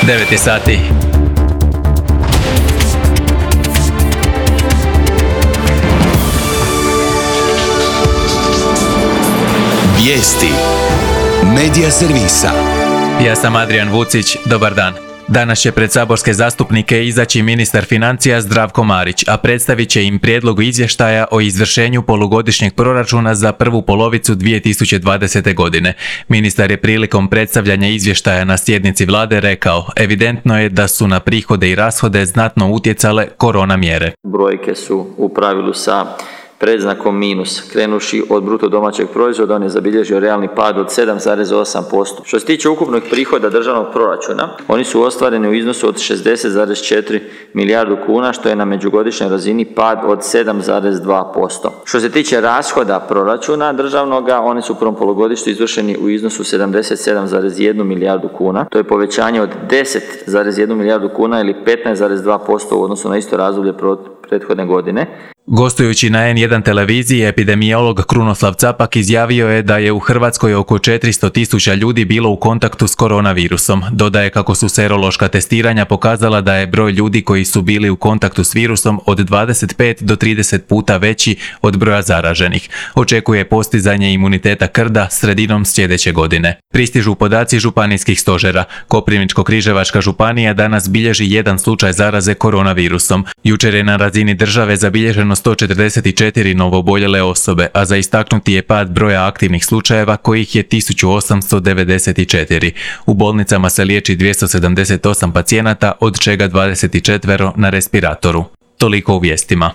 9 je sati. Vijesti Medija servisa. Ja sam Adrian Vucić, dobar dan. Danas će pred saborske zastupnike izaći ministar financija Zdravko Marić, a predstavit će im prijedlog izvještaja o izvršenju polugodišnjeg proračuna za prvu polovicu 2020. godine. Ministar je prilikom predstavljanja izvještaja na sjednici vlade rekao, evidentno je da su na prihode i rashode znatno utjecale korona mjere. Brojke su u pravilu sa predznakom minus. Krenuši od bruto domaćeg proizvoda, on je zabilježio realni pad od 7,8%. Što se tiče ukupnog prihoda državnog proračuna, oni su ostvareni u iznosu od 60,4 milijardu kuna, što je na međugodišnjoj razini pad od 7,2%. Što se tiče rashoda proračuna državnoga, oni su u prvom polugodištu izvršeni u iznosu 77,1 milijardu kuna. To je povećanje od 10,1 milijardu kuna ili 15,2% u odnosu na isto razdoblje prethodne godine. Gostujući na N1 televiziji, epidemiolog Krunoslav Capak izjavio je da je u Hrvatskoj oko 400.000 ljudi bilo u kontaktu s koronavirusom. Dodaje kako su serološka testiranja pokazala da je broj ljudi koji su bili u kontaktu s virusom od 25 do 30 puta veći od broja zaraženih. Očekuje postizanje imuniteta krda sredinom sljedeće godine. Pristižu podaci županijskih stožera. Koprivničko-križevačka županija danas bilježi jedan slučaj zaraze koronavirusom. Jučer je na razini države zabilježeno 144 novooboljele osobe, a za istaknuti je pad broja aktivnih slučajeva kojih je 1894. U bolnicama se liječi 278 pacijenata, od čega 24 na respiratoru. Toliko u vijestima.